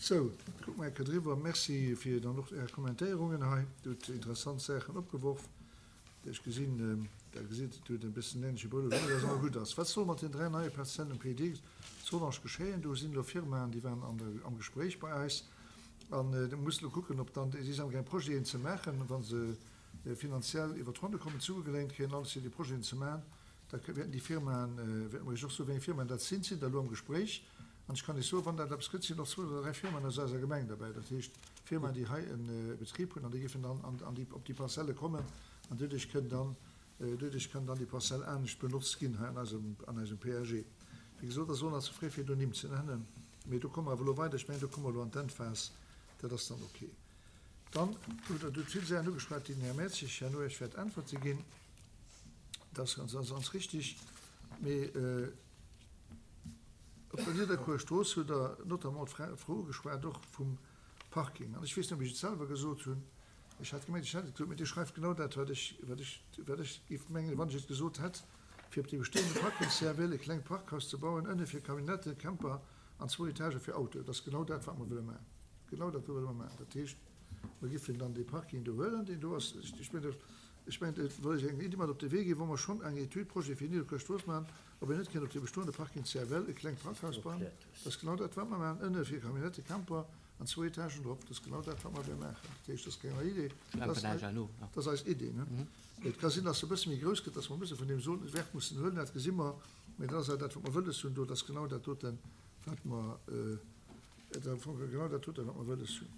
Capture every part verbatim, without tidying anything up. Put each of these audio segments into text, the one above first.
Sou, kucke mer eng Kéier driwwer. Merci fir dann och Är Kommentéierungen hei. Dir hutt interessant Saachen opgeworf. Ech gesinn, Der gesitt, Dir hutt e bëssen änleche Brëll un, dat ass awer gutt ass. Wat soll mat den dräi neie Parzellen um P D zu Rodange geschéien? Do sinn elo Firmaen, déi waren an der, am Gespréich bei eis. An do muss elo kucken, ob dann, si si amgaang Projeten ze maachen, wa se finanziell iwwer d'Ronne kommen, zougeléint kréien, alles fir déi Projeten ze maachen, da wäerten déi Firmaen, wäerte mer Iech och soen, wéi eng Firmaen dat sinn, sinn der elo am Gespréich. An ech kann Iech soen, wann dat eppes gëtt, sinn och zwou oder dräi Firmaen aus eiser Gemeng derbäi, dat heescht Firmaen, déi hei e Betrib hunn an déi géifen dann an déi, op déi Parzelle kommen an doduerch kënn dann, doduerch kann dann déi Parzell anescht benotzt ginn hei an eisem, an eisem P A G. Wéi gesot, ass elo nach ze fréi fir do Nimm ze nennen, mee do komme mer awer elo weider. Ech mengen, do komme mer elo an d'Endphas, dat ass dann ok. Dann hutt Der hutt vill Saachen ugeschwat, déi den Här Mertzig herno Iech wäert Äntwerte ginn. Dat ass ganz, ganz richtig. Mee op der Nidderkuer Strooss hutt Der notamment d'Fro ugeschwat och vum Parking. An ech weess net, ob ech et selwer gesot hunn. Ech hat gemengt, ech hätt et gesot, mee Dir schreift genau dat, wat ech, wat ech, wat ech géif mengen, wann ech et gesot hätt, fir op dee bestehende Parking C F L e klengt Parkhaus ze bauen, ënne fir Camionnetten, Camper an zwou Etagë fir Autoen. Dat ass genau dat, wat mer wëlle maachen. Genau dat wëlle mer maachen. Dat heescht, mer géifen dann dee Parking do huelen, deen do ass. Ech mengen, ech mengen, et wëll ech eng Iddi mat op de Wee ginn, wou mer schonn eng Etüd, Projet fir Nidderkuer Strooss maachen, ob een net kënnt op dee bestoende Parking C F L e klengt Parkhaus bauen. Dat ass genau dat, wat mer maachen, ënne fir Camionnetten, Camper an zwou Etagen drop. Dat ass genau dat, wat mer wëlle maachen. Dat heescht, dat ass keng nei Idee. Dat ass, dat ass eis Idee. Ne? Et ka sinn, dass se e bësse méi grouss gëtt, dass mer e bësse vun deem Wäert mussen huelen, dat gesi mer. Mee dat ass dat, wat mer wëlles hunn do. Dat ass genau dat doten, wat mer, äh, am Fong genau dat doten, wat mer wëlles hunn.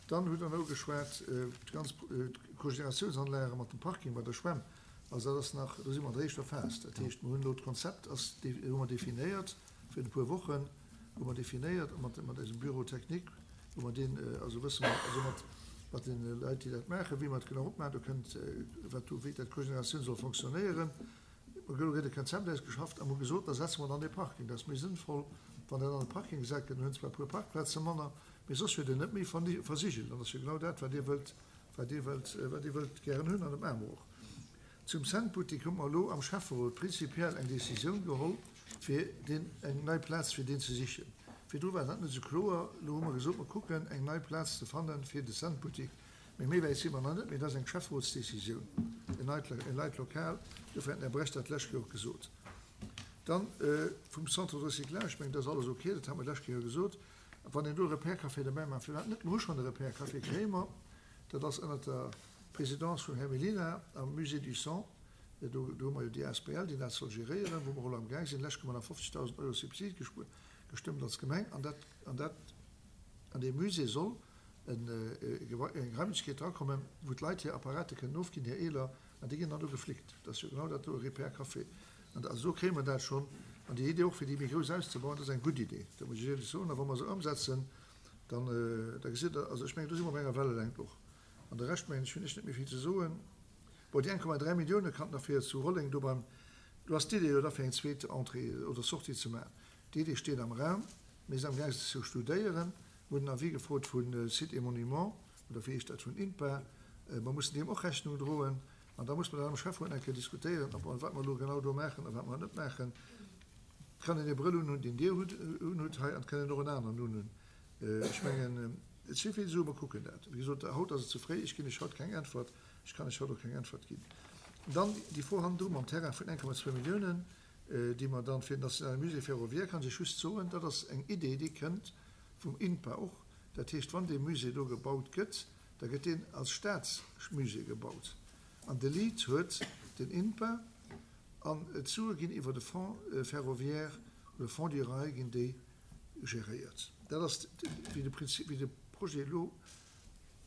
Dann hutt Der nach ugeschwat, äh, d'ganz äh, Cogeneratiounsanlage mat dem Parking bei der Schwämm. Also dat ass nach, do si mer an der éischter Phas. Dat heescht, mer hunn elo d'Konzept ass, hu mer definéiert fir e puer Wochen, hu mer definéiert mat, mat eisem Bureau technique, wou mer deen, also wësse mer, also mat, mat den Leit, déi dat maachen, wéi mer et genau opmaachen, do kënnt, wat do, wéi dat Cogeneratioun soll fonctionnéieren. Mer hu e Konzept ausgeschafft a mer gesot, da setze mer dann de Parking. Dat ass méi sënnvoll, wann dat an de Parking gesat gëtt, dann hunn zwar e puer Parkplaze manner, mee soss wier den net méi versigelt. An dat ass jo genau dat, wat Dir wëllt, wat Dir wëllt, wat Dir wëllt gären hunn an dem Aarberuch. Zum Centboutique hu mer elo am Schäfferot prinzipiell eng Decisioun geholl, fir deen eng nei Plaz fir deen ze sichen. Virdru war dat net sou kloer. Elo hu mer gesot, mer kucken eng nei Plaz ze fannen fir de Centboutique. Mee méi wäit si mer nach net, mee dat ass eng Schäfferotsdecisioun. En neit, en neit Lokal, dofir hat den Här Brecht dat d'lescht Kéier och gesot. Dann äh, vum Centre de recyclage, ech mengen, dat ass alles okay, dat hu mer d'lescht Kéier gesot. Wann een do e Repair-Café derbäi maacht, firwat net? Mer hu schonn e Repair-Café, kréie mer. Dat ass ënner der Présidence vum Här Melina am Musée du Sang. Do, do hu mer jo déi A S B L, déi dat soll geréieren, wou mer elo am Gaang sinn. Lescht hu mer nach fofzegdausend Euro Subsid gestëmmt als Gemeng. An dat, an dat, an deem Musée soll eng, eng Raimlechkeet drakommen, wou d'Leit hir Apparate kënnen ofginn, hir eeler, an déi ginn dann do geflickt. Dat ass jo genau dat do, e Repair-Café. An also do kréie mer dat schonn. An déi Idee och, fir déi méi grouss auszebauen, dat ass eng gutt Idee. Dat muss ech éierlech soen. A wa mer se ëmsetzen, dann, da gesitt Der, also ech mengen, do si mer op enger Wellelängt och. An de Rescht, mengen ech, hunn ech net méi vill ze soen. Bon, déi eng Komma dräi Millioune kann nach fir zu Rolleng do beim, du has d'Idee jo da fir eng zweet Entrée oder Sortie ze maachen. D'Idee steet am Raum, mir sinn am Gaang se ze studéieren. Mer hunn den Avis gefrot vu Sites et Monuments, oder wéi heescht dat, vun INPA. Mer mussen deem och Rechnung droen. An da muss mer dann am Schäfferot eng Kéier diskutéieren, ob mer, wat mer elo genau do maachen a wat mer net maachen. Et kann een e Brëll unhunn, deen Dir hutt, unhutt hei, an et kann een och en aneren unhunn. Ech mengen, et si vill Suen, mer kucken dat. Wéi gesot, haut ass et ze fréi, ech ginn lech haut keng Äntwert, ech kann lech haut och keng Äntwert ginn. Dann déi Fro hannendru mam Terrain vun eng Komma zwou Milliounen, déi mer dann fir den Nationale Musée Ferroviaire, kann ech just soen, dat ass eng Idee, déi kënnt vum INPA och. Dat heescht, wann dee Musée do gebaut gëtt, da gëtt deen als Staatsmusée gebaut. An de Lead huet den INPA an d'Sue ginn iwwer de Fonds ferroviaire oder Fonds du Rail ginn déi geréiert. Dat ass wéi de Prinzip, wéi de Projet elo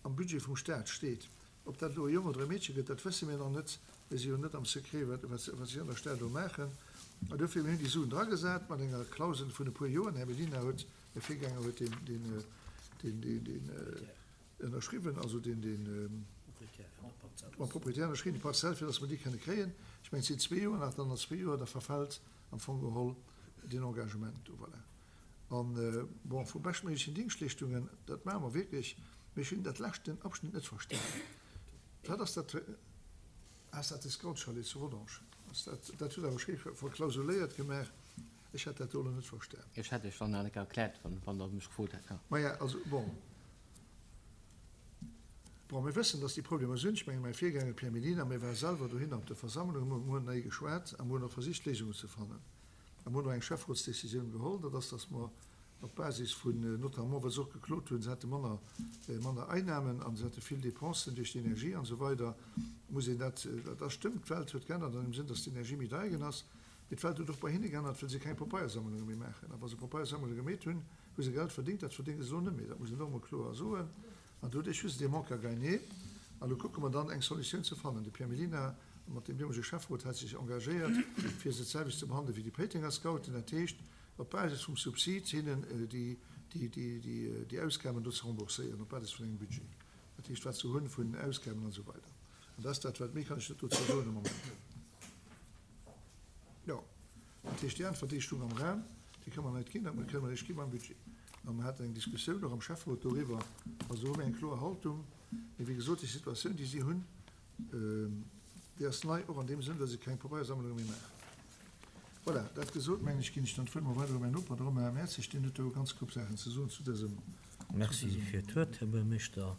am Budget vum Staat steet. Ob dat elo e Jong oder e Meedche gëtt, dat wësse mir nach net. Mir si jo net am Secret, wat, wat, wat si an der Stad do maachen. An dofir hunn déi Suen dragesat mat enger Klausel vun e puer Joren. Här Mellina huet, mäi Virgänger huet deen, deen, deen, deen, deen ënnerschriwwen, also deen, deen mam Proprietär ënnerschriwwen, déi Parzell, fir datt mer déi kënne kréien. Ech mengen, et sinn zwee Joer nach, dann no zwee Joer, da verfält am Fong geholl deen Engagement do. Voilà. An bon, vu beschtméiglechen Dingschtleeschtungen, dat maache mer wierklech, mee ech hunn dat leschten Abschnitt net verstanen. Wat ass dat? Ass dat de Scout-Chalet zu Rodange? Ass dat, dat hutt awer schéi verklausuléiert gemaach. Ech hätt dat do elo net verstan. Ech hätt Iech dann nach net erkläert, wann, wann Der mech gefrot hätt, jo. Maja, also, bon. Bon, mir wëssen, dass déi Problemer sinn. Ech mengen, mäi Virgänger Pierre Mellina, mir ware selwer dohinner op der Versammlung, mir hunn hei geschwat a mir hunn och versicht, Léisungen ze fannen. A mir hunn och eng Schäfferotsdecisioun geholl, dat ass, dass mer op Basis vun, notamment well se och geklot hunn, se hätte manner, manner Einnahmen a se hätte vill Dépensen duerch d'Energie an esou weider, muss een dat, dat stëmmt, d'Welt huet geännert an dem Sënn, dass d'Energie méi deier ginn ass, mee d'Welt huet och bei hinne geännert, well se keng Papeiersammlunge méi maachen. A wa se Papeiersammlunge gemeet hunn, hu se Geld verdéngt, dat verdénge se elo net méi, dat muss een och emol kloer soen. An doduerch hu se dee Manque à gagner. An elo kucke mer dann, eng Solutioun ze fannen. De Pierre Mellina mat deem deemolege Schäfferot hat sech engagéiert, fir se d'selwecht ze behandele wéi déi Péitenger Scouten, dat heescht op Basis vum Subsid hinnen déi Ausgaben do ze rembourséieren, op Basis vun engem Budget, dat heescht wat se hunn vun Ausgaben an esou weider. An dat ass dat, wat méi kann ech net dozou soen am Moment. Jo, dat heescht déi Äntwert, déi stoung am Raum, déi ka mer net ginn, dat kënne mer eréischt gi beim Budget. A mer haten eng Diskussioun och am Schäfferot doriwwer. Also do hu mir eng kloer Haltung. Mee wéi gesot, déi Situatioun, déi si hunn, déi ass nei och an deem Sënn, well se keng Pabeiersammlunge méi maachen. Voilà, dat gesot, mengen ech, ginn ech dann d'Wuert mol weider u mäin Noper, de Romain Mertzig, deen huet do e ganz Koup Saachen ze soen zu dësem. Merci fir d'Wuert, Här Buergermeeschter.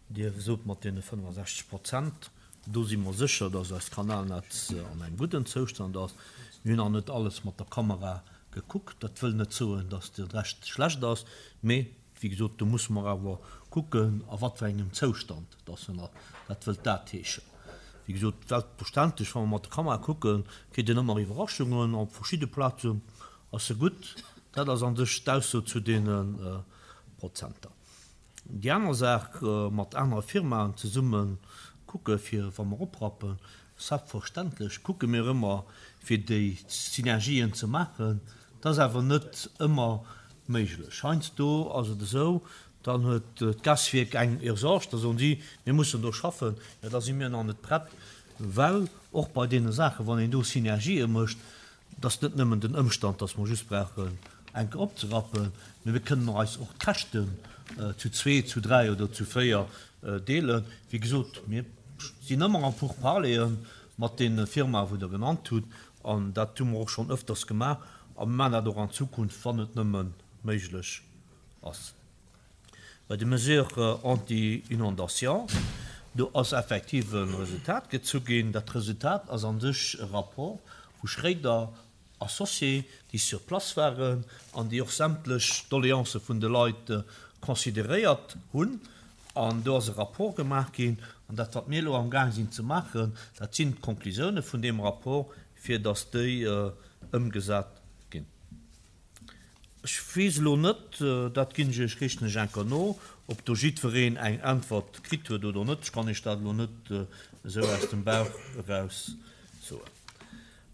Dir sot mat deene fënnefasechzeg Prozent, do si mer sécher, dass eist Kanalnetz an engem gudden Zoustand ass. Mir hunn nach net alles mat der Kamera gekuckt. Dat wëll net soen, dass de Rescht schlecht ass, mee wéi gesot, do musse mer awer kucken, a wat fir engem Zoustand dass en ass. Dat wëllt dat heeschen. Wéi gesot, selbstverständlech, wa mer mat der Kamera kucken, kritt een ëmmer Iwwerraschungen. Op verschidde Plazen ass se gutt. Dat ass an sech d'Ausso zu deene Prozenter. Déi aner Saach, mat anere Firmaen zesumme kucke fir, wa mer oprappen, selbstverständlech kucke mir ëmmer, fir déi Synergien ze maachen. Dat ass awer net ëmmer méiglech. Heiansdo ass et esou, dann huet d'Gaswierk eng Urgence, da soen si, mir mussen do schaffen, jo da si mir nach net prett, well och bei deene Saachen, wann een do Synergië mécht, dat ass net nëmmen den Ëmstand, dass mer just brauchen enke opzerappen, mee mir kënnen eis och d'Käschten zu zwee, zu dräi oder zu véier deelen. Wéi gesot, mir sinn ëmmer en Pourparleren mat deene Firmae wou Der genannt hutt, an dat hu mer och schonn ëfters gemaach a mir maachen dat och an Zukunft, wann et nëmme méiglech ass. Bei de Mesures anti-inondation, do ass effektiv e Resultat gezu ginn. Dat Resultat ass an sech e Rapport vu Schréider Associés, déi sur place waren an déi och sämtlech Doléancë vun de Leit consideréiert hunn. An do ass e Rapport gemaach ginn. An dat, wat mir elo amgaang sinn ze maachen, dat sinn d'Konklusioune vun deem Rapport, fir datt déi ëmgesat ginn. Ech weess elo net, dat ginn ech Iech, richten ech enker no, ob do jiddwereen eng Äntwert kritt huet oder net. Ech kann Iech dat elo net esou aus dem Bauch eraus soen.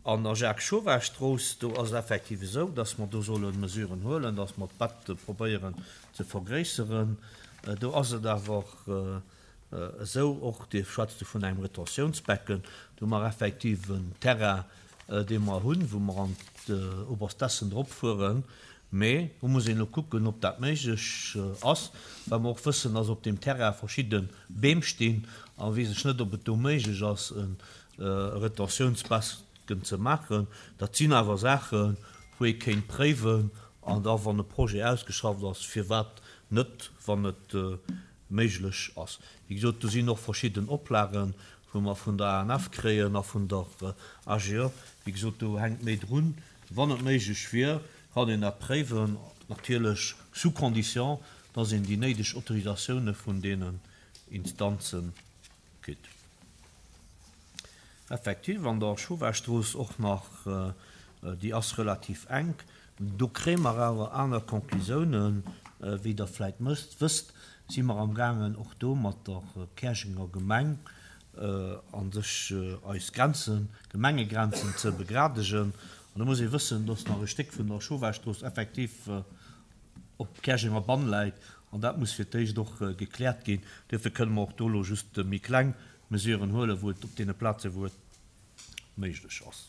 An der Jacques-Chauvet-Strooss, do ass et effektiv esou, dass mer do solle Mesuren huelen, dass mer d'Bett probéieren ze vergréisseren. Do ass et awer esou, och Dir schwätzt do vun engem Retentiounsbecken, do hu mer effektiv en Terrain, dee mer hunn, wou mer an d'Oberstessen drop fueren. Mee do muss een elo kucken, ob dat méiglech ass, well mer och wëssen, dass op deem Terrain verschidde Beem stinn a weess ech net, ob et do méiglech ass, e Retentiounsbecken ze maachen. Dat sinn awer Saachen, wou ee kéint préiwen an da, wann e Projet ausgeschafft ass, firwat net, wann et méiglech ass. Wéi gesot, do sinn och verschidden Oplagen, wou mer vun der A N F kréien a vun der A G E. Wéi gesot, do hänkt méi drun. Wann et méiglech wier, kann een dat préiwen, natierlech sous condition, dass een déi néideg Autorisatioune vun deenen Instanze kritt. Effektiv, an der Chauvet-Strooss och nach, déi ass relativ enk. Do kréie mer awer aner Conclusiounen, wéi der vläicht wësst, si mer am gaangen och do mat der Käerjenger Gemeng an sech eis Grenzen, Gemengegrenzen ze begradegen. An da muss ee wëssen, dass nach e Stéck vun der Chauvet-Strooss effektiv op Käerjenger Bann läit an dat muss fir d'éischt och gekläert ginn. Duerfir kënne mer och do elo just méi kleng Mesuren huelen, wou et op deene Plaze wou et méiglech ass.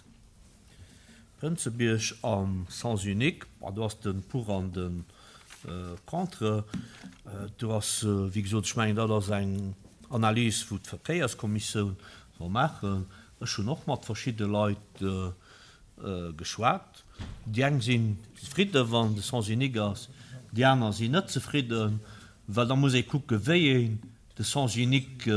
Prënzebierg am Sens unique, do ass de Pour an de Contre. Do ass, wéi gesot, ech mengen, dat ass eng Analys, wou d'Verkéierskommissioun soll maachen. Ech hunn och mat verschidde Leit geschwat. Déi eng sinn zefridden, wann de Sens unique ass, déi aner sinn net zefridden, well da muss ee kucken, wéi een de Sens unique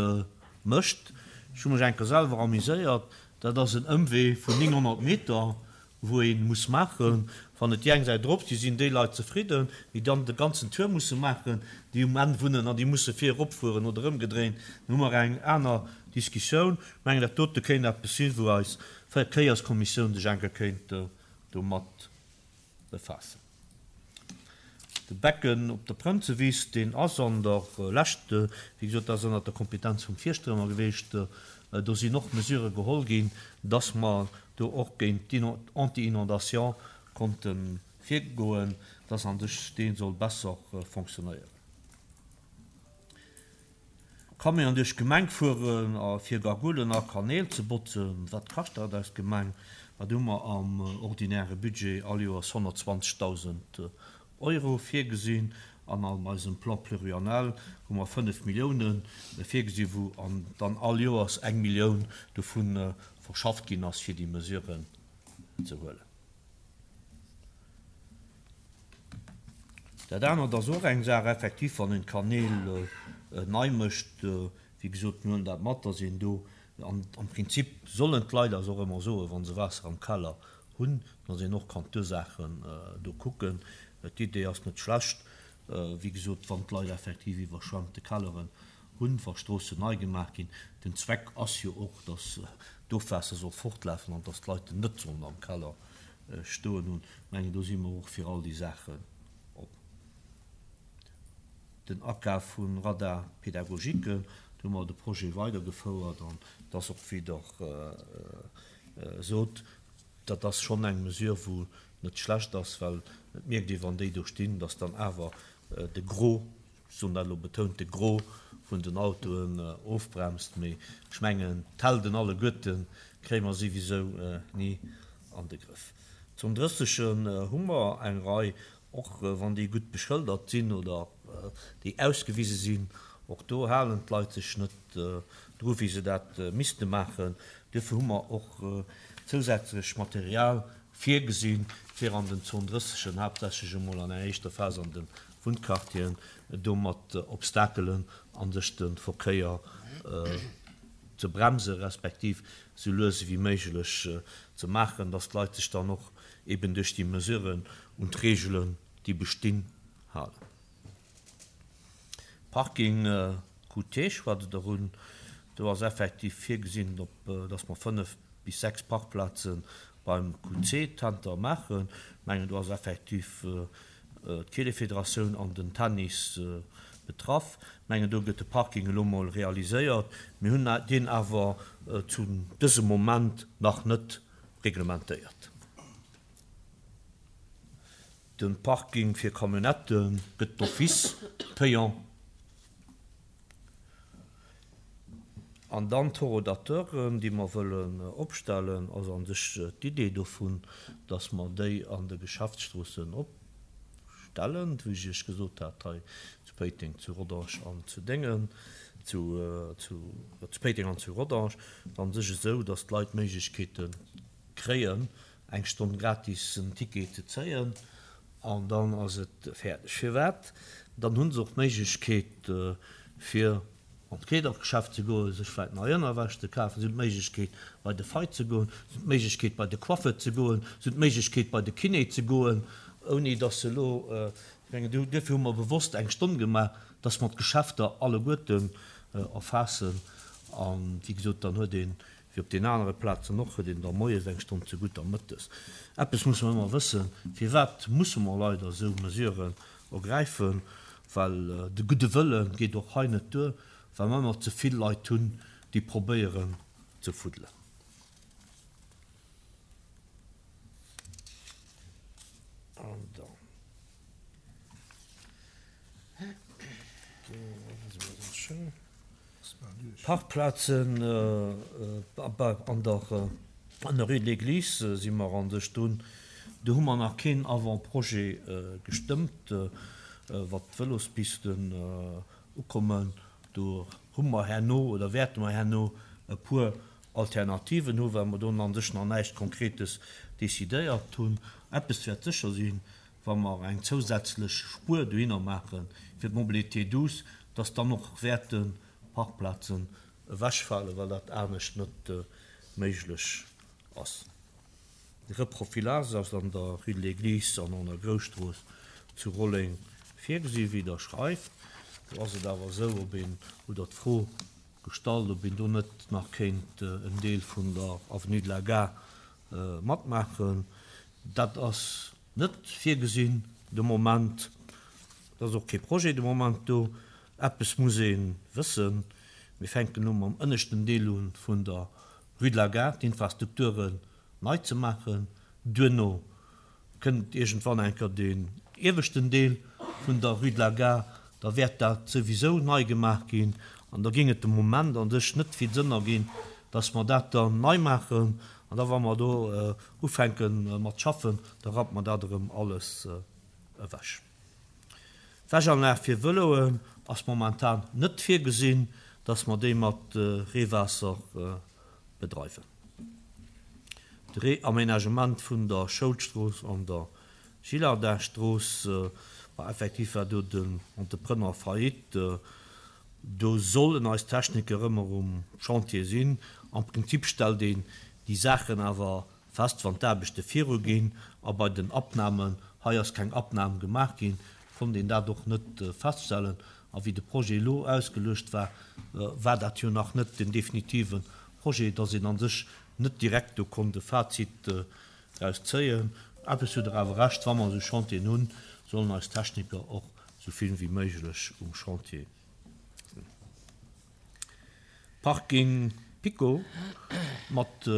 mécht. Ech hu mech eng Kéier selwer amuséiert, dat ass en Ëmwee vun nénghonnert Meter, wou ee muss maachen. Wann et déi eng Säit erop si, sinn déi Leit zefridden, déi dann de ganzen Tour musse maachen, déi um Enn wunnen an déi musse vir eropfueren oder ëmgedréint. Dann hu mer eng aner Diskussioun. Ech mengen, dat dote kéint eppes sinn, wou eis Verkéierskommissioun sech eng Kéier kéint domat befaassen. De Becken op der Prënzewiss, deen ass an der Lescht, wéi gesot, dat ass ënnert der Kompetenz vum Fierschter ëmmer geweecht, do sinn och Mesurë geholl ginn, dass mer do och géint d'Anti-inondation konnte virgoen, dass an sech dee soll besser fonctionnéieren. Camion duerch d'Gemeng fueren a fir Gargoulen a Kanäl ze botzen, wat kascht dat eis Gemeng? Wat hu mer am ordinäre Budget all Joers honnertzwanzegdausend Euro virgesinn an an eisem Plan pluriannuel hu mer fënnef Milliounen virgesinn, wou an dann all Joers eng Millioun dovun verschafft ginn ass, fir déi Mesuren ze huelen. Dat anert ass och eng Saach, effektiv, wann een d'Kanäl nei mécht, wéi gesot, mir huelen dat mat, dass een do, an am Prinzip sollen d'Leit eis och ëmmer soen, wa se Waasser am Keller hunn, dass een och kann d'Ursaachen do kucken. D'Idee ass net schlecht, wéi gesot, wann d'Leit effektiv iwwerschwemmte Kelleren hunn, wa Stroossen nei gemaach ginn. Den Zweck ass jo och, dass d'Ofwaasser soll fortlafen an dass d'Leit net sollen am Keller stoen hunn. Ech mengen, do si mer och fir all déi Saachen op. Den Akaf vu Radar pédagogique, do hu mer de Projet weidergefouert an et ass och, wéi Der sot, dat ass schonn eng Mesure, wou net schlecht ass, well et mierkt ee, wann déi do stinn, dass dann awer de Gros, ech soen dat elo betount, de Gros vun den Autoen ofbremst. Mee ech mengen, d'Helden alleguerte kréie mer souwisou ni an de Grëff. Zum Drëssegen hu mer eng Rei, och wann déi gutt beschëldert sinn oder déi ausgewise sinn, och do halen d'Leit sech net dru wéi se dat misste maachen. Duerfir hu mer och zousätzlech Material virgesinn, fir an den Zon drëssegen, haaptsächlech emol an enger éischter Phas an de Wunnquartieren, do mat Obstakelen an sech de Verkéier ze bremsen, respektiv esou lues ewéi méiglech ze maachen, dass d'Leit sech dann och eben duerch déi Mesuren un d'Reegelen, déi bestinn, halen. Parking Q T schwätzt Der un. Do ass effektiv virgesinn, op, dass mer fënnef bis sechs Parkplaze beim Q C-Zenter maachen. Ech mengen, do ass effektiv d'Keelefederatioun an den Tennis betraff. Ech mengen, do gëtt de Parking elo mol realiséiert. Mir hunn deen awer zu dësem Moment nach net reglementéiert. De Parking fir Camionnette gëtt d'office payant. An dann d'Horodateuren, déi mer wëllen opstellen, ass a sech d'Idee dovun, dass mer déi an de Geschäftsstroossen opstellen, wéi ech Iech gesot hat, hei zu Péiteng, zu Rodange an zu Déngen, zu, zu, zu Péiteng an zu Rodange, a sech esou, dass d'Leit d'Méiglechkeete kréien, eng Stonn gratis en Ticket ze zéien, an dann ass et fäerdeg. Firwat? Dann hu se och d'Méiglechkeet, fir an d'Kleedergeschäft ze goen, sech vläicht nei Ënnerwäsch ze kafen, se hunn d'Méiglechkeet, bei de Fei ze goen, se hunn d'Méiglechkeet, bei de Coiffeur ze goen, se hunn d'Méiglechkeet, bei de Kiné ze goen, ouni dass se elo, ech mengen, duerfir hu mer bewosst eng Stonn gemaach, dass mer d'Geschäfter alleguerten erfaassen. A wéi gesot, dann huet een, wéi op den anere Plazen och, huet een da moies eng Stonn zegutt a mëttes. Eppes musse mer ëmmer wëssen, Firwat musse mer leider esou Mesuren ergräifen? Well de gudde Wëlle geet och hei net duer, well mer ëmmer ze vill Leit hunn, déi probéieren ze fuddelen. An dann Parkplazen an der an der Rue de l'Église si mer an sech dunn. Do hu mer nach keen Avant-projet gestëmmt, wat d'Vëlospisten ukommen. Do hu mer herno oder wäerte mer herno e puer Alternativen hu, well mer do an sech nach näischt Konkretes decidéiert hunn. Eppes wäert sécher sinn, wa mer eng zousätzlech Spuer dohinner maache fir d'Mobilité douce, dass dann och wäerte Parkplazen ewechfalen, well dat anescht net méiglech ass. De Reprofilage ass an der Rue de l'Église an an der Grousstrooss zu Rolleng virgesi wéi Der schreift. Do ass et awer esou, ob een, hutt Der d'Fro gestallt, ob een do net nach kéint en Deel vun der Avenue de la Gare matmaachen. Dat ass net virgesinn de Moment. Et ass och kee Projet de Moment do. Eppes muss ee wëssen, Mir fänken elo mam ënneschten Deel u vun der Rue de la Gare, d'Infrastrukturen nei ze maachen. Duerno kënnt iergendwann eng Kéier deen ieweschten Deel vun der Rue de la Gare. Da wäert dat souwisou nei gemaach ginn. An da géing et de Moment an sech net vill Sënn erginn, dass mer dat dann nei maachen. An da wa mer do ufänke mat schaffen, da rappt mer dat erëm alles ewech. D'Wäschanlag fir Vëloen ass momentan net virgesinn, dass mer déi mat Reewaasser bedreiwen. De Reaménagement vun der Schoulstrooss an der Gillardin-Strooss, ma effektiv war do den Entrepreneur faillite. Do sollen eis Techniker ëmmer um Chantier sinn. Am Prinzip stellt een déi Saachen awer fest, wann d'Aarbechte viruginn. A bei den Abnamen, hei ass keng Abnam gemaach ginn, konnt een dat och net feststellen. A wéi de Projet elo ausgeluecht war, war dat jo nach net den definitive Projet, dass een a sech net direkt do konnt e Fazit draus zéien. Eppes hutt Der awer Recht, wa mer esou Chantieren hunn, sollen eis Techniker och esou vill wéi méiglech um Chantier sinn. Parking Pico mat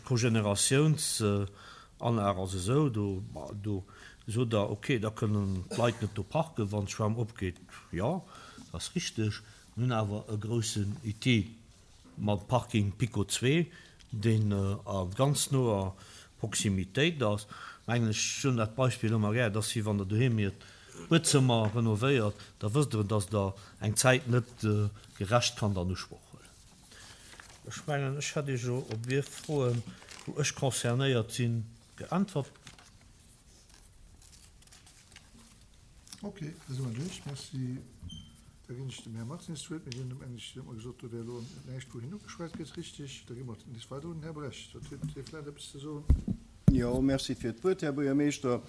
Cogeneratiounsanlag ass esou, do, do sot Der, okay, da kënnen d'Leit net do parken, wann d'Schwämm opgeet. Jo, dat ass richteg. Mir hunn awer e groussen Outil mam Parking Pico zwee, deen a ganz noer Proximitéit ass. Mengen ech, ech hunn dat Beispill ëmmer gär, et ass wéi wann Der doheem Iert Buedzëmmer renovéiert, da wësst Der, dass Der eng Zäit net gerecht kann an Usproch huelen. Ech mengen, ech hätt Iech elo op Ier Froen, wou ech concernéiert sinn, geäntwert. Ok, da si mer duerch. Merci. Da ginn ech dem Här Martins d'Wuert. Mir hunn eng, ech hunn emol gesot, do wär elo näischt, wou hin ugeschwat gëtt. Richtig. Da gi mer nees weider un den Här Brecht. Huet hie vläicht eppes ze soen? Jo, merci fir d'Wuert, Här Buergermeeschter.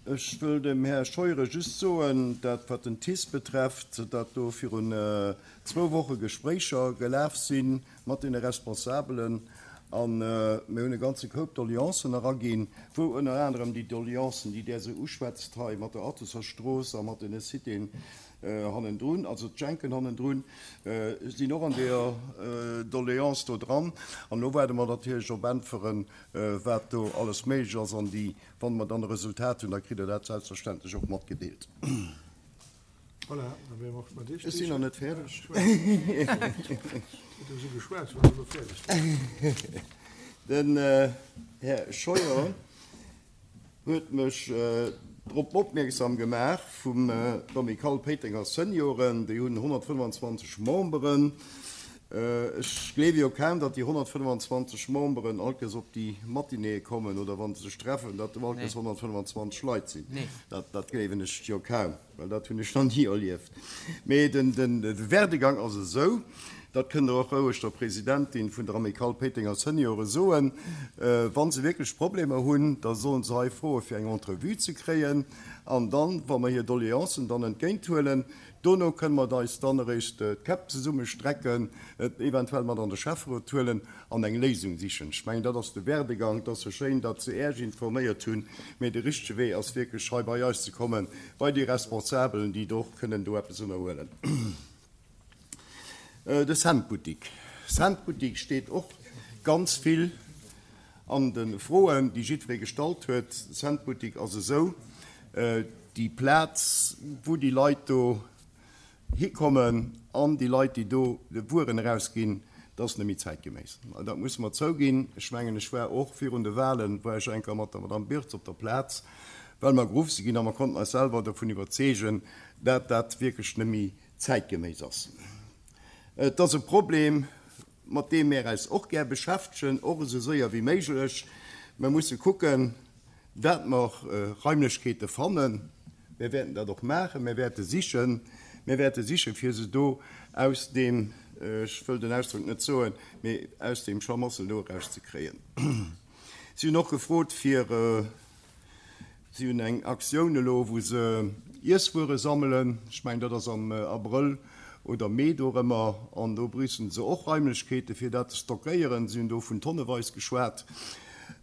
Ech wëll dem Här Scheuren just soen, dat wat den T I S betrefft, datt do virun zwou Woche Gespréicher gelaf si mat deene Responsabelen an mir hunn e ganze Koup Doleancen eraginn, wou ënner anerem déi Doleancen, déi Der esou uschwätzt hei mat der Athuser Strooss a mat deene Citéen hannendrun, also d'Schenken hannendrun, sinn och an deeër Doleance do dran. An elo waarde mer natierlech op Äntweren, wat do alles méiglech ass. An déi, wann mer dann e Resultat hunn, da kritt Der dat selbstverständlech och matgedeelt. Voilà, da wäre mer och mat Iech Ech sinn nach net fäerdeg. Huet esou geschwat, wann Der elo fäerdeg wiert. Den Här Scheuer huet mech drop opmierksam gemaach vum d'Amicale Péitenger Senioren, déi hunn honnertfënnefanzwanzeg Memberen. Ech gleewe jo kaum, datt déi honnertfënnefanzwanzeg Memberen allkes op déi Matinéeë kommen oder wa se sech treffen, datt do allkes honnertfënnefanzwanzeg Leit sinn. Dat, dat gleewen ech jo kaum, well dat hunn ech nach ni erlieft. Mee den, den Werdegang ass esou, dat kënnt Der och roueg der Presidentin vun der Amicale Péitenger Seniore soen, wa se wierklech Problemer hunn, da sollen se hei froe fir eng Entrevue ze kréien. An dann, wa mer hir Doleancen dann entgéinthuelen, dono kënne mer eis dann eréischt d'Käpp zesummestrecken, et eventuell mat an de Schäfferot huelen an eng Léisung sichen. Ech mengen, dat ass de Werdegang. Et ass jo schéin, datt se Äech informéiert hunn, mee de richtege Wee ass wierklech hei bei eis ze kommen, bei déi Responsabelen, déi do och kënnen do eppes ënnerhuelen. De Centboutique. Centboutique steet och ganz vill an de Froen, déi jiddweree gestallt huet. Centboutique ass esou déi Plaz, wou déi Leit do hikommen an déi Leit, déi do de Wueren erausginn, dat ass net méi zäitgeméiss. Dat musse mer zouginn. Ech mengen, ech war och virun de Wahlen, war ech eng Kéier mat der Madame Birtz op der Plaz, well mer geruff si ginn a mer konnten eis selwer dovun iwwerzeegen, dat dat wierklech net méi zäitgeméiss ass. Et ass e Problem, mat deem mir eis och gär beschäftegen, och esou séier wéi méiglech. Mer musse kucken, dat mer Raimlechkeete fannen. Mir wäerten dat och maachen, mir wäerte sichen, mir wäerte sichen, fir se do aus deem, ech wëll den Ausdrock net soen, mee aus deem Schlamassel do erauszekréien. Si hunn och gefrot fir, si hunn eng Aktioun elo, wou se Iesswuere sammelen, ech mengen dat ass am Abrëll oder Mee dorëmmer, an do bräuchten se och Raimlechkeete fir dat ze stockéieren. Si hunn do vun tonneweis geschwat.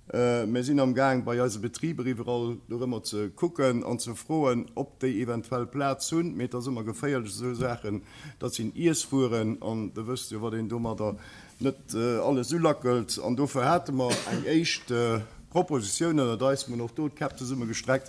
Mir sinn am Gaang bei eise Betriber iwwerall dorëmmer ze kucken an ze froen, ob déi eventuell Plaz hunn. Mee et ass ëmmer geféierlech esou Saachen, dat sinn Iesswueren an Der wësst jo, wat een domadder net alles ulackelt. An dofir hate mer eng éischt Propositioun ënnert eis, mir hunn och do d'Käpp zesumme gestreckt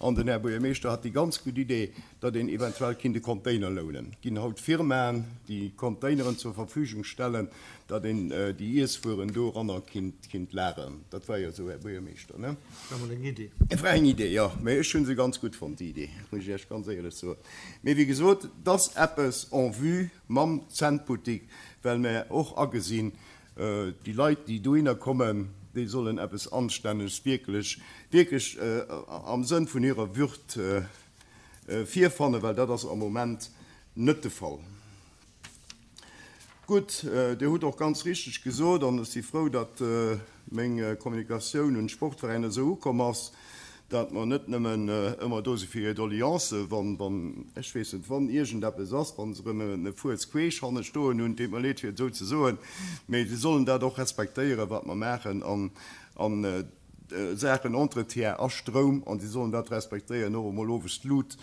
an den Här Buergermeeschter hat déi ganz gutt Idee, datt een eventuell kinnt e Container lounen. Et ginn haut Firmaen, déi Containeren zur Verfügung stellen, datt een déi Iesswueren doranner kinnt lageren. Dat war jo esou, Här Buergermeeschter, ne? War mol eng Idee. War eng Idee, jo. Mee ech hu se ganz gutt fonnt, déi Idee, muss ech Iech ganz éierlech soen. Mee wéi gesot, et ass eppes en vue mam Centbuttik, well mer och agesinn, déi Leit, déi dohinner kommen, déi sollen eppes Anstänneges, wierklech, wierklech am Sënn vun hirer Würd virfannen, well dat ass am Moment net de Fall. Gutt, Dir hutt och ganz richteg gesot, an ech si frou, datt meng Kommunikatioun un d'Sportveräiner esou ukomm ass, datt mer net nëmmen ëmmer do si fir hir Doleancen, wann, wann, ech weess net, wann iergendeppes ass, wa se erëm e Fuerz queesch hanne stoen hunn, deet mer leed fir et esou ze soen, mee se sollen dat och respektéieren, wat mer maachen an a Saachen Entretien a Stroum, an si sollen dat respektéieren, och emol owes d'Lut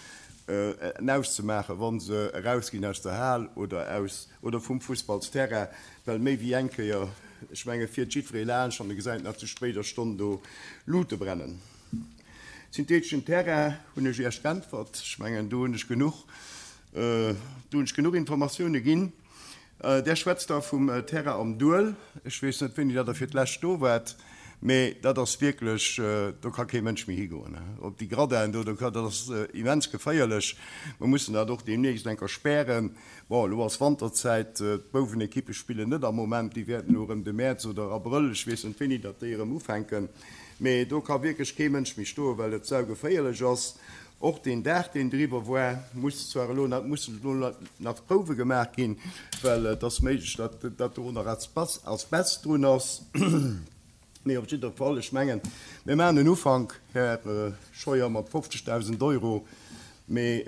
auszemaachen, wa se erausginn aus der Hal oder aus oder vum Fussballsterrain, well méi wéi eng Kéier, ech menge fiert jiddweree laanscht an e gesäit nach zu spéider Stonn do Lute brennen. Syntheteschen Terrain hunn ech Iech geäntwert. Ech mengen, do hunn ech genuch, do hunn ech genuch Informatioune ginn. Där schwätzt da vum Terrain am Duel. Ech weess net, wéini dat Der fir d'lescht do waart, mee dat ass wierklech, do ka kee Mënsch méi higoen. Op déi Gradinen do, do ka, dat ass immens geféierlech. Mer mussen dat och deemnächst eng Kéier spären. Bon, elo ass Wanterzäit, d'Bouwenekippe spillen net am Moment, déi wäerten elo erëm de Mäerz oder Abrëll, ech weess net wéini datt déi erëm ufänken, mee do ka wierklech kee Mënsch méi stoen, well et saugeféierlech ass. Och deen Daach, deen driwwer war, muss zwar elo nach, mussen elo nach Prouwe gemaach ginn, well et ass méiglech, datt datt do nach Asbest drun ass. Mee op jidder Fall, ech mengen, mir maachen en Ufank, Här Scheuer, mat fofzegdausend Euro, mee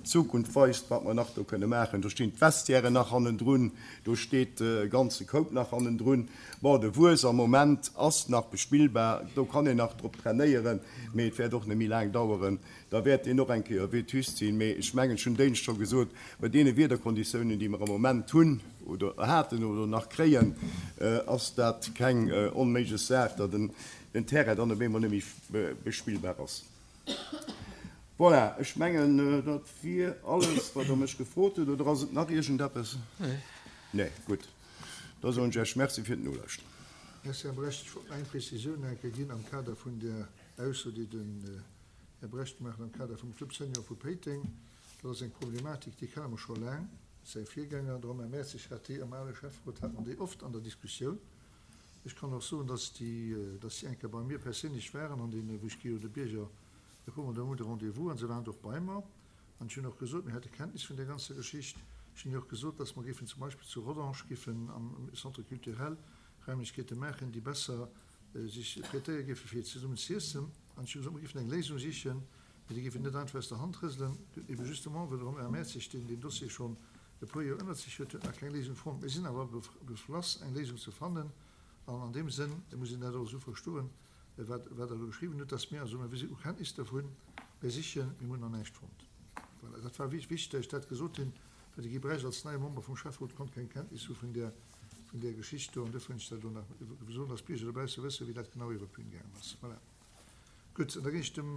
d'Zukunft weist, wat mer nach do kënne maachen. Do stinn d'Vestiairen nach hannendrun, do steet e ganze Koup nach hannendrun. Bon, de Wues am Moment ass nach bespillbar, do kann een nach drop trainéieren, mee et wäert och net méi laang daueren, da wäert deen och eng Kéier vétuste sinn. Mee ech mengen, ech hunn d'éinescht scho gesot, bei deene Wiederkonditiounen, déi mer am Moment hunn oder haten oder nach kréien, ass dat keng onméiglech Saach, datt den Terrain dann op eemol net méi bespillbar ass. Voilà, ech mengen, dat wier alles, wat Der mech gefrot hutt. Oder ass et nach iergendeppes? Nee, gutt. Da soen ech Iech Merci fir d'Nolauschteren. Merci, Här Brecht. Ech wollt nach eng Prezisioun eng Kéier ginn am Kader vun där Ausso, déi den Här Brecht gemaach huet am Kader vum Club Senior vu Péiteng. Dat ass eng Problematik, déi kenne mer scho laang. Säi Virgänger, de Romain Mertzig, hat déi am ale Schäfferot, hat mer déi oft an der Diskussioun. Ech kann och soen, dass déi, dass si eng Kéier bei mir perséinlech waren an deene, wou ech gi jo de Bierger e puer Mol de Mount e Rendez-vous an se waren och bei mer. An ech hunn och gesot, mir hätte Kenntnis vun där ganzer Geschicht. Ech hunn och gesot, dass mer géifen zum Beispill zu Rodange géifen am Centre culturel Raimlechkeete maachen, déi besser sech prêtéiere géife fir zesummen z'iessen. An ech hu gesot, mer géifen eng Léisung sichen, mee déi géifen net einfach aus der Hand rëselen. Ebe justement, well de Romain Mertzig, deen deen Dossier schonn e puer Joer ënnert sech huet, huet nach keng Léisung fonnt. Mir sinn awer beflass, eng Léisung ze fannen. An an deem Sënn muss een dat och esou verstoen, wat Der elo geschriwwen hutt, dass mir, also mir si u Kenntnis dervun, mir sichen, mir hunn nach näischt fonnt. Voilà, dat war wichteg, dass ech dat gesot hunn, well de Guy Brecht als neie Member vum Schäfferot konnt keng Kenntnis hu vun där, vun där Geschicht do. An duerfir hunn ech dat elo nach gesot, dass d'Bierger dobausse wëssen, wéi dat genau iwwer d'Bün gaangen ass. Voilà. Gutt, an da ginn ech dem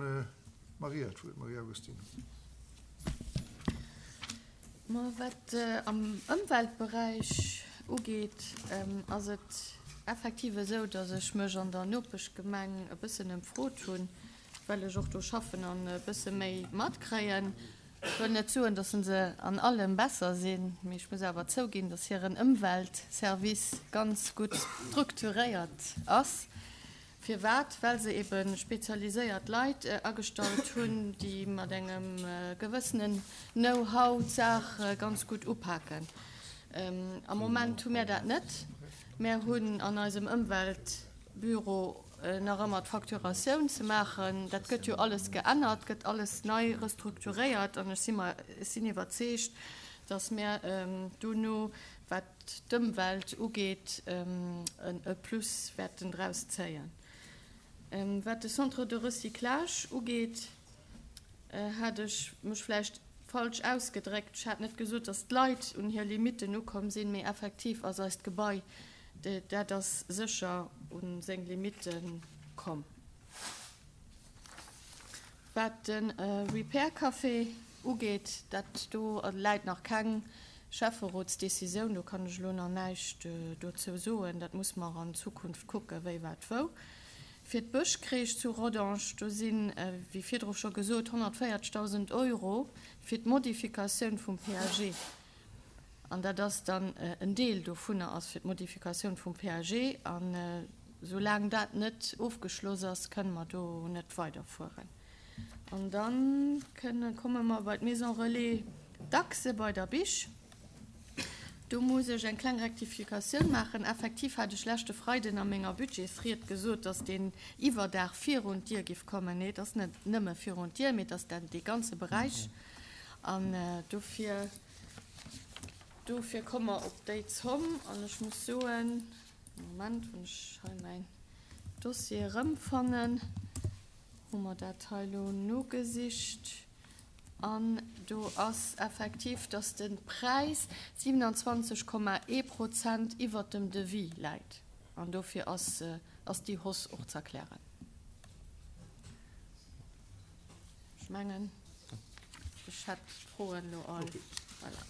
Maria d'Wuert, Maria Agostino. Ma wat am Ëmweltberäich ugeet, ass et effektiv esou, datt ech mech an der Nopeschgemeng e bëssen ëmfrot hunn, well ech och do schaffen an e bësse méi matkréien. Ech wëll net soen, datt se an allem besser sinn, mee ech muss awer zouginn, datt hiren Ëmweltservice ganz gutt strukturéiert ass. Firwat? Well se ebe spezialiséiert Leit agestallt hunn, déi mat engem gewëssenen Know-how d'Saach ganz gutt upaken. Am Moment hu mär dat net. Mär hunn an eisem Ëmweltbüro nach ëmmer d'Facturatioun ze maachen. Dat gëtt jo alles geännert, gëtt alles nei restrukturéiert an ech si mer, ech sinn iwwerzeegt, dass mär dono, wat d'Ëmwelt ugeet, e Plus wäerten draus zéien. Wat de Centre de recyclage ugeet, hat ech mech vläicht falsch ausgedréckt. Ech hat net gesot, dass d'Leit un hir Limitten ukomm sinn, mee effektiv ass eist Gebai, dat ass sécher u seng Limitte komm. Wat de Repair Café ugeet, dat do läit nach keng Schäfferotsdecisioun, do kann ech elo nach näischt dozou soen. Dat muss mer an Zukunft kucken, wéi, wat, wou. Fir d'Bëschcrèche zu Rodange, do sinn, wéi virdru scho gesot, honnertvéierzegdausend Euro fir d'Modifikatioun vum P A G. An dat ass dann en Deel dovunner ass fir d'Modifikatioun vum P A G. An soulaang dat net ofgeschloss ass, kënne mer do net weiderfueren. An da komme mer bei d'Maison Relais Dachse bei der Bich. Do muss ech eng kleng Rektifikatioun maachen. Effektiv hat ech leschte Freiden a menger Budgetsried gesot, dass deen Iwwerdaach virun d'Dier giff kommen. Nee, et ass net nëmme virun d'Dier, mee et ass dann dee ganze Beräich. An dofir, dofir komme mer op déi Zomm. An ech muss soen, Moment, wann ech hei mäin Dossier erëmfannen, hu mer dat hei elo nogesicht. An do ass effektiv, dass de Präis siewenundzwanzeg Komma ee Prozent iwwert dem Devis läit. An dofir ass, ass déi Hausse och z'erklären. Ech mengen, ech hätt d'Froen elo all. Voilà.